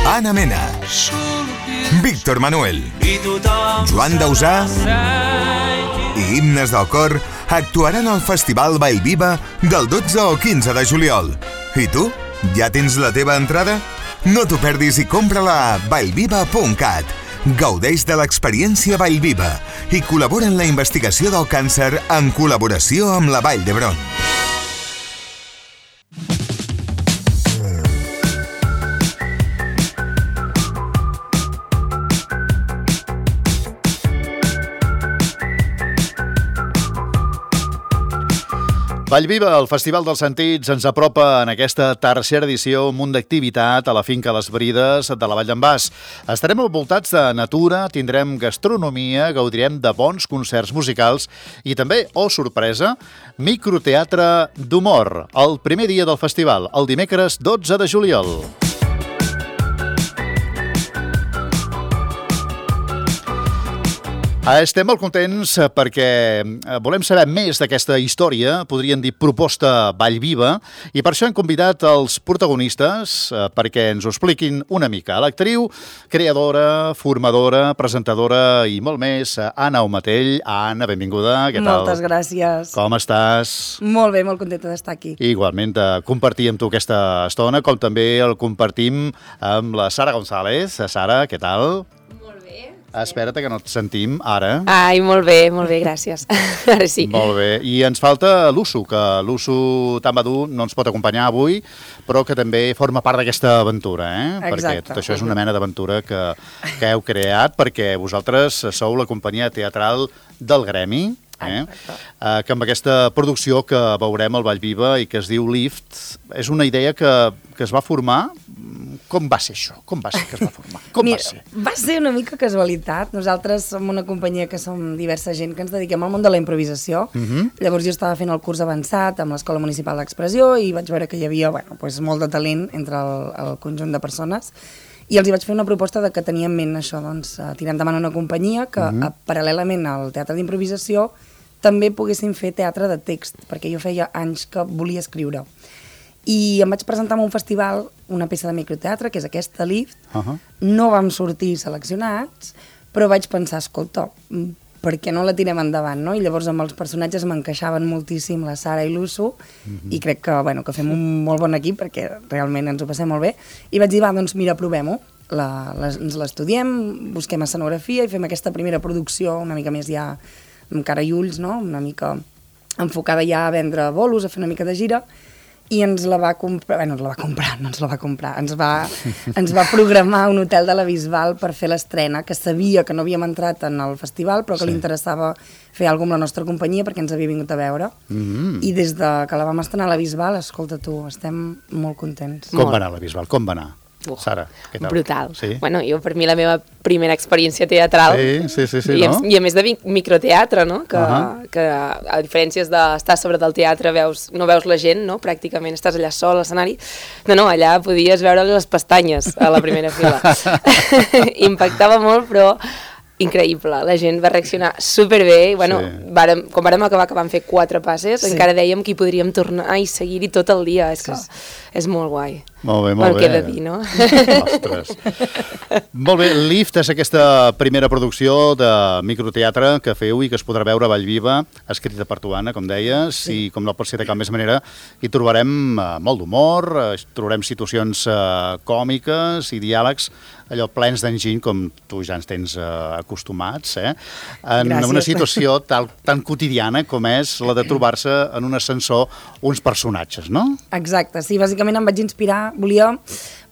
Anna Mena, Víctor Manuel, Joan Dausà i Himnes del Cor actuaran al Festival Vallviva del 12 al 15 de juliol. I tu? Ja tens la teva entrada? No t'ho perdis i compra-la a vallviva.cat. Gaudeix de l'experiència Vallviva i col·labora en la investigació del càncer en col·laboració amb la Vall d'Hebron. Vallviva, el Festival dels Sentits, ens apropa en aquesta tercera edició un munt d'activitat a la finca Les Brides de la Vall d'en Bas. Estarem envoltats de natura, tindrem gastronomia, gaudirem de bons concerts musicals i també, oh sorpresa, microteatre d'humor. El primer dia del festival, el dimecres 12 de juliol. Estem molt contents perquè volem saber més d'aquesta història, podríem dir proposta Vallviva, i per això hem convidat els protagonistes perquè ens ho expliquin una mica. L'actriu, creadora, formadora, presentadora i molt més, Anna Omatell. Anna, benvinguda. Què tal? Moltes gràcies. Com estàs? Molt bé, molt contenta d'estar aquí. Igualment, de compartir amb tu aquesta estona, com també el compartim amb la Sara González. Sara, què tal? Espera't que no et sentim ara. Ai, molt bé, gràcies. Ara sí. Molt bé. I ens falta l'Usu, que l'Usu Tambadú no ens pot acompanyar avui, però que també forma part d'aquesta aventura, Exacte. Perquè tot això és una mena d'aventura que heu creat, perquè vosaltres sou la companyia teatral del Gremi, que amb aquesta producció que veurem al Vallviva i que es diu Lift, és una idea que es va formar. Com va ser això? Com va ser que es va formar? Va ser una mica casualitat. Nosaltres som una companyia que som diversa gent que ens dediquem al món de la improvisació. Llavors jo estava fent el curs avançat amb l'Escola Municipal d'Expressió i vaig veure que hi havia molt de talent entre el conjunt de persones i els hi vaig fer una proposta de que tenia en ment això, tirar endavant una companyia que paral·lelament al teatre d'improvisació també poguessin fer teatre de text, perquè jo feia anys que volia escriure. I em vaig presentar en un festival una peça de microteatre, que és aquesta Lift. No vam sortir seleccionats, però vaig pensar, escolta, per què no la tirem endavant, no? I llavors amb els personatges m'encaixaven moltíssim la Sara i l'Usu, i crec que fem un molt bon equip, perquè realment ens ho passem molt bé. I vaig dir, doncs mira, provem-ho. Ens l'estudiem, busquem escenografia i fem aquesta primera producció una mica més ja amb cara i ulls, no? Una mica enfocada ja a vendre bolos, a fer una mica de gira, i ens la va comprar, ens va programar un hotel de la Bisbal per fer l'estrena, que sabia que no havíem entrat en el festival, però que li interessava fer alguna cosa amb la nostra companyia perquè ens havia vingut a veure. I des que la vam estrenar a la Bisbal, escolta tu, estem molt contents. Com va anar la Bisbal? Com va anar? Sara, què tal? Brutal. Sí? Bueno, per mi la meva primera experiència teatral. Sí, I, no? I a més de microteatre, no? Que a diferències d'estar sobre del teatre no veus la gent, no? Pràcticament estàs allà sol a l'escenari. No, allà podies veure les pestanyes a la primera fila. Impactava molt, però increïble. La gent va reaccionar superbé. Quan vàrem acabar, que vam fer 4 passes, encara dèiem que hi podríem tornar i seguir-hi tot el dia. És que és molt guai. Molt bé. Queda dir, no? Ostres. Molt bé, Lift és aquesta primera producció de microteatre que feu i que es podrà veure a Vallviva, escrita per tu, Anna, com deies, i com no pot ser de cap més manera, hi trobarem molt d'humor, trobarem situacions còmiques i diàlegs allò plens d'enginy, com tu ja ens tens acostumats, en una situació tan quotidiana com és la de trobar-se en un ascensor uns personatges, no? Exacte, sí, bàsicament em vaig inspirar, volia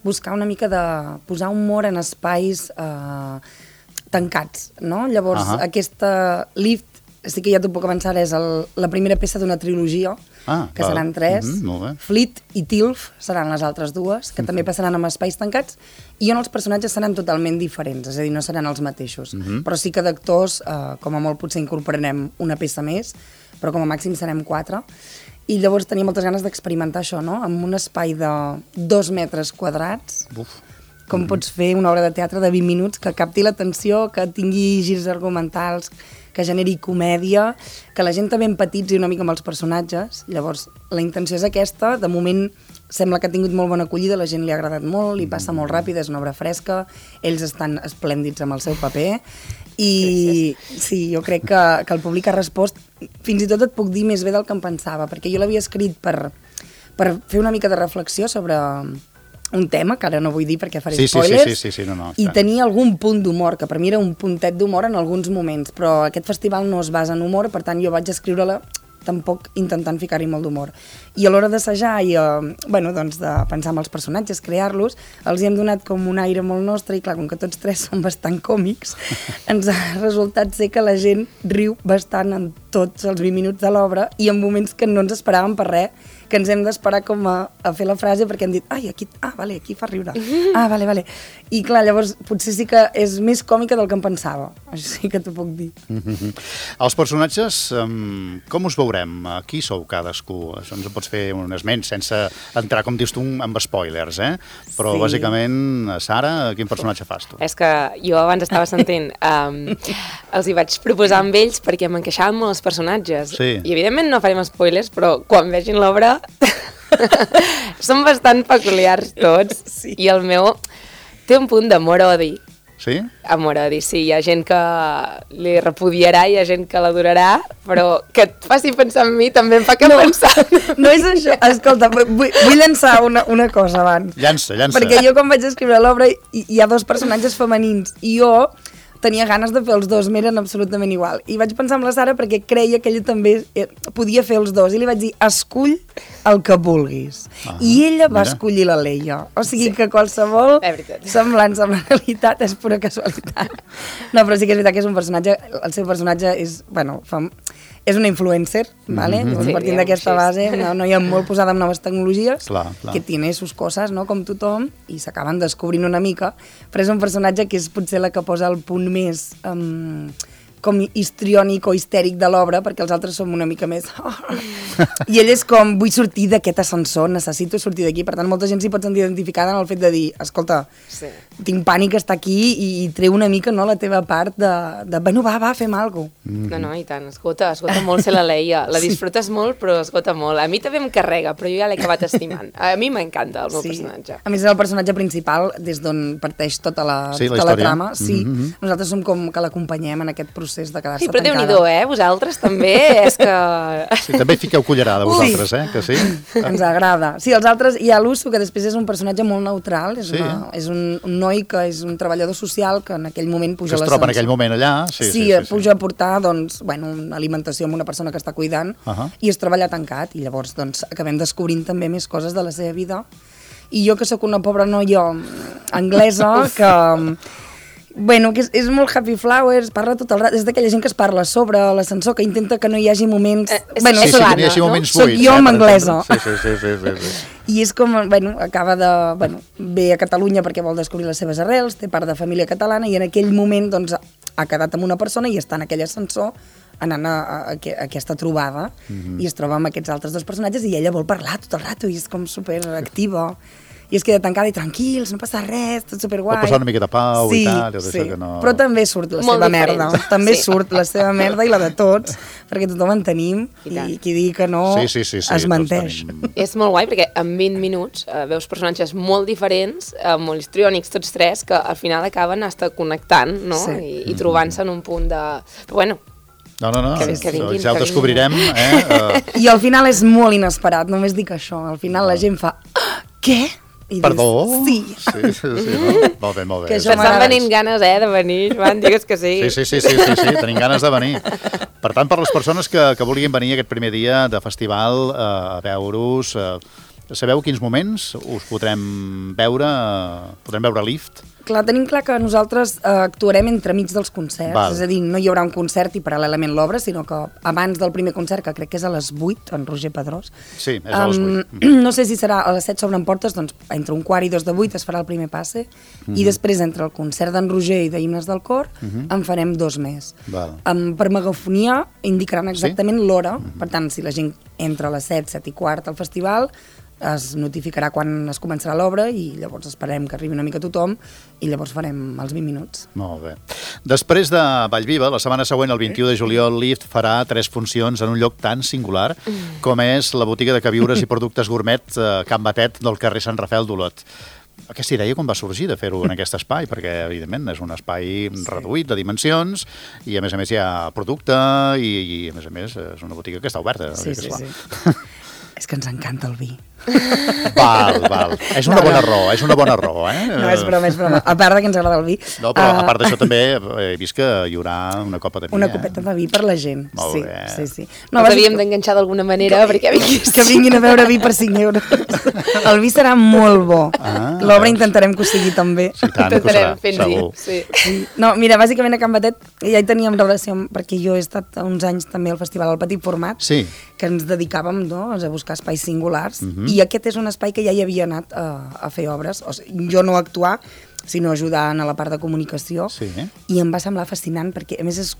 buscar una mica de posar humor en espais tancats, no? Llavors, aquesta Lift, sí que ja t'ho puc avançar, és la primera peça d'una trilogia, que seran 3. Fleet i Tilf seran les altres 2, que també passaran en espais tancats, i on els personatges seran totalment diferents, és a dir, no seran els mateixos. Però sí que d'actors, com a molt potser incorporarem una peça més, però com a màxim serem 4. I llavors tenia moltes ganes d'experimentar això, no? En un espai de 2 metres quadrats, com pots fer una obra de teatre de 20 minuts que capti l'atenció, que tingui girs argumentals, que generi comèdia, que la gent també empatitzi una mica amb els personatges. Llavors, la intenció és aquesta. De moment sembla que ha tingut molt bona acollida, la gent li ha agradat molt, li passa molt ràpid, és una obra fresca, ells estan esplèndids amb el seu paper, i sí, jo crec que el públic ha respost, fins i tot et puc dir més bé del que em pensava, perquè jo l'havia escrit per fer una mica de reflexió sobre un tema, que ara no vull dir perquè faré spoilers, i tenia algun punt d'humor, que per mi era un puntet d'humor en alguns moments, però aquest festival no es basa en humor, per tant jo vaig escriure-la tampoc intentant ficar-hi molt d'humor. I a l'hora d'assajar i de pensar en els personatges, crear-los, els hi hem donat com un aire molt nostre i clar, com que tots tres són bastant còmics, ens ha resultat ser que la gent riu bastant en tots els 20 minuts de l'obra i en moments que no ens esperàvem per res, que ens hem d'esperar com a fer la frase perquè hem dit, aquí fa riure. Vale. I clar, llavors potser sí que és més còmica del que em pensava. Això sí que t'ho puc dir. Els personatges, com us veurem? Qui sou cadascú? Això ens ho pots fer un esment sense entrar, com dius tu, amb spoilers, eh? Però bàsicament, Sara, quin personatge fas tu? És que jo abans estava sentint, els hi vaig proposar amb ells perquè m'encaixaven molt els personatges. I evidentment no farem spoilers, però quan vegin l'obra són bastant peculiars tots i el meu té un punt d'amor-odi. Sí? Amor-odi, sí. Hi ha gent que li repudiarà, hi ha gent que l'adorarà, però que et faci pensar en mi també em fa que pensar. No és això. Escolta, vull llançar una cosa abans. Llança. Perquè jo quan vaig escriure l'obra hi ha dos personatges femenins i jo tenia ganes de fer els dos, m'eren absolutament igual. I vaig pensar en la Sara perquè creia que ella també podia fer els dos. I li vaig dir, escull el que vulguis. I ella va escollir la Leia. O sigui que qualsevol semblança amb la realitat és pura casualitat. No, però sí que és veritat que és un personatge, el seu personatge és, és una influencer, ¿vale? Partint d'aquesta base, una noia molt posada en noves tecnologies, que tiene sus coses, no?, com tothom, i s'acaben descobrint una mica, però és un personatge que és potser la que posa el punt més com histriònic o histèric de l'obra, perquè els altres som una mica més... I ell és com, vull sortir d'aquest ascensor, necessito sortir d'aquí. Per tant, molta gent s'hi pot sentir identificada en el fet de dir, escolta, tinc pànic a estar aquí i treu una mica la teva part de bueno, va, fem alguna cosa. No, i tant, esgota molt ser la Leia. La disfrutes molt, però esgota molt. A mi també em carrega, però jo ja l'he acabat estimant. A mi m'encanta el meu personatge. A més, és el personatge principal des d'on parteix tota la trama. Sí, nosaltres som com que l'acompanyem en aquest procés de quedar-se tancada. Sí, però Déu-n'hi-do, Vosaltres també, és que... Sí, també fiqueu cullerada vosaltres, que sí? Ens agrada. Sí, els altres, hi ha l'Uso, que després és un personatge molt neutral, és un noi que és un treballador social que en aquell moment puja a l'ascensor. Que es troba en aquell moment allà. Sí, puja a portar, una alimentació amb una persona que està cuidant i es troba allà tancat, i llavors acabem descobrint també més coses de la seva vida. I jo, que sóc una pobra noia anglesa, que és molt happy flowers, parla tot el rato, és d'aquella gent que es parla sobre l'ascensor, que intenta que no hi hagi moments... que no hi hagi moments buits. Soc jo amb anglesa. Sí. I és com, acaba de... ve a Catalunya perquè vol descobrir les seves arrels, té part de família catalana, i en aquell moment ha quedat amb una persona i està en aquell ascensor anant a aquesta trobada, i es troba amb aquests altres dos personatges i ella vol parlar tot el rato i és com superactiva. I es queda tancada i tranquils, no passa res, tot superguai. Pot passar una mica de pau i tal. Sí, però també surt la seva merda. També surt la seva merda i la de tots, perquè tothom en tenim i qui digui que no es menteix. És molt guai perquè en 20 minuts veus personatges molt diferents, molt histriònics tots tres, que al final acaben hasta connectant, no? I trobant-se en un punt de... Però bueno, no, ja ho descobrirem. I al final és molt inesperat, només dic això. Al final la gent fa... Què? Perdó? Sí. Molt bé. Que estan venint ganes, de venir, Joan, digues que sí. Sí, tenim ganes de venir. Per tant, per les persones que vulguin venir aquest primer dia de festival a veure-us, sabeu quins moments us podrem veure Lift? Clar, tenim clar que nosaltres actuarem entremig dels concerts, és a dir, no hi haurà un concert i paral·lelament l'obra, sinó que abans del primer concert, que crec que és a les 8, en Roger Pedrós. Sí, és a les 8. No sé si serà a les 7 s'obren portes, doncs entre 1:15 i 2:08 es farà el primer passe, i després entre el concert d'en Roger i d'Himnes del Cor en farem 2 més. Per megafonia indicaran exactament l'hora, per tant, si la gent entra a les 7:15 al festival, es notificarà quan es començarà l'obra i llavors esperem que arribi una mica tothom i llavors farem els 20 minuts. Molt bé. Després de Vallviva, la setmana següent, el 21 de juliol, Lift farà 3 funcions en un lloc tan singular com és la botiga de queviures i productes gourmet Can Batet del carrer Sant Rafael d'Olot. Aquesta idea com va sorgir de fer-ho en aquest espai? Perquè, evidentment, és un espai reduït de dimensions i, a més hi ha producte i a més, és una botiga que està oberta. Sí. És que ens encanta el vi. Val. És una bona raó, eh? No, és broma. A part que ens agrada el vi. No, però a part d'això també he vist que hi haurà una copa de vi. Una copeta de vi per la gent. Molt bé. Sí. No, els havíem d'enganxar d'alguna manera perquè vinguis. Que vinguin a veure vi per 5 euros. El vi serà molt bo. L'obra intentarem que ho sigui també. Sí, tant que ho serà, segur. Sí. No, mira, bàsicament a Can Batet ja hi teníem relació, perquè jo he estat uns anys també al festival al Petit Format, que ens dedicàvem a buscar espais singulars, i aquest és un espai que ja hi havia anat a fer obres, o sigui, jo no a actuar, sinó ajudant a la part de comunicació, i em va semblar fascinant, perquè a més és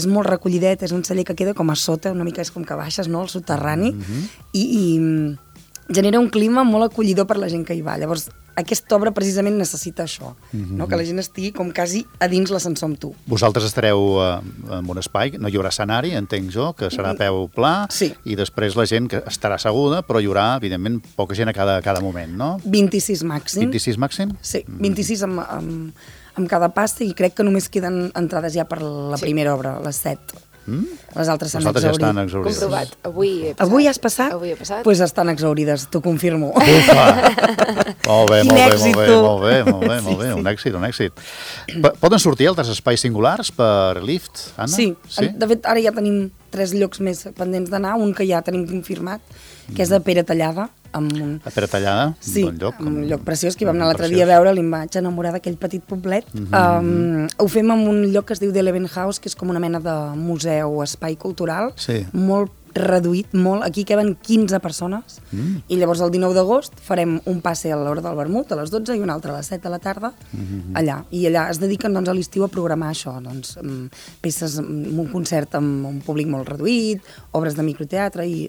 molt recollidet, és un celler que queda com a sota, una mica és com que baixes, no?, al soterrani, i genera un clima molt acollidor per la gent que hi va. Llavors, aquesta obra precisament necessita això, no? Que la gent estigui com quasi a dins l'ascensor amb tu. Vosaltres estareu en un espai, no hi haurà escenari, entenc jo, que serà a peu pla, i després la gent que estarà asseguda, però hi haurà, evidentment, poca gent a cada moment, no? 26 màxim. 26 màxim? Sí, 26 amb cada pasta, i crec que només queden entrades ja per la primera obra, les 7. Les altres s'han exhaurit. Ja estan exhaurides. Comprovat. Avui has passat? Avui he passat. Doncs estan exhaurides, t'ho confirmo. Ufa! Molt bé. Un èxit. Poden sortir altres espais singulars per Lift, Anna? Sí. De fet, ara ja tenim 3 llocs més pendents d'anar, un que ja tenim confirmat, que és a Pere Tallada. A Pere Tallada? Sí, un lloc preciós, que hi vam anar l'altre dia a veure, li em vaig enamorar d'aquell petit poblet. Ho fem en un lloc que es diu The Eleven House, que és com una mena de museu, espai cultural, molt reduït, molt. Aquí queben 15 persones, i llavors el 19 d'agost farem un passe a l'hora del vermut, a les 12, i un altre a les 7 de la tarda, allà. I allà es dediquen a l'estiu a programar això, peces, un concert amb un públic molt reduït, obres de microteatre, i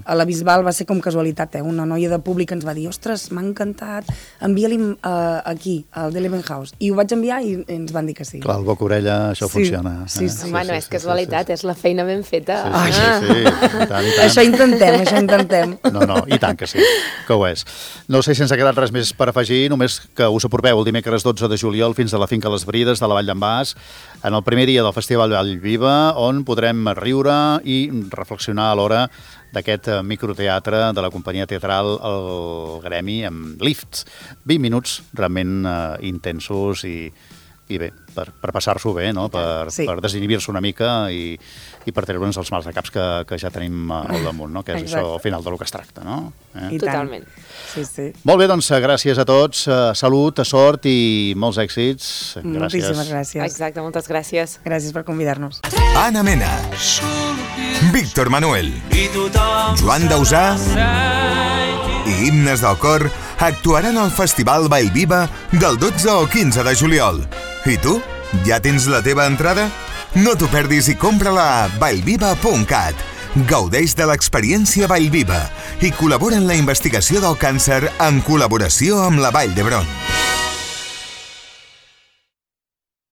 a la Bisbal va ser com casualitat, una noia de públic ens va dir, ostres, m'ha encantat, envia-li aquí, al The Eleven House. I ho vaig enviar i ens van dir que sí. Clar, el boca-orella, això funciona. Sí. Home, no és casualitat, és la feina ben feta. Sí. Tant. Això intentem. No, i tant que sí, que ho és. No sé si ens ha quedat res més per afegir, només que us apropeu el dimecres 12 de juliol fins a la Finca Les Brides de la Vall d'en Bas, en el primer dia del Festival Vallviva, on podrem riure i reflexionar a l'hora d'aquest microteatre de la companyia teatral El Gremi amb Lift. 20 minuts realment intensos i bé, per passar-s'ho bé, no? Per desinhibir-se una mica i per treure'ns els mals de caps que ja tenim al damunt, no? Que és això al final del que es tracta, no? Totalment. Sí. Molt bé, doncs gràcies a tots, salut, sort i molts èxits. Moltíssimes gràcies. Exacte, moltes gràcies. Gràcies per convidar-nos. Anna Mena, Víctor Manuel, Joan Dausà i Himnes del Cor actuaran al Festival Vallviva del 12 o 15 de juliol. I tu? Ja tens la teva entrada? No t'ho perdis i compra-la a vallviva.cat. Gaudeix de l'experiència Vallviva i col·labora en la investigació del càncer en col·laboració amb la Vall d'Hebron.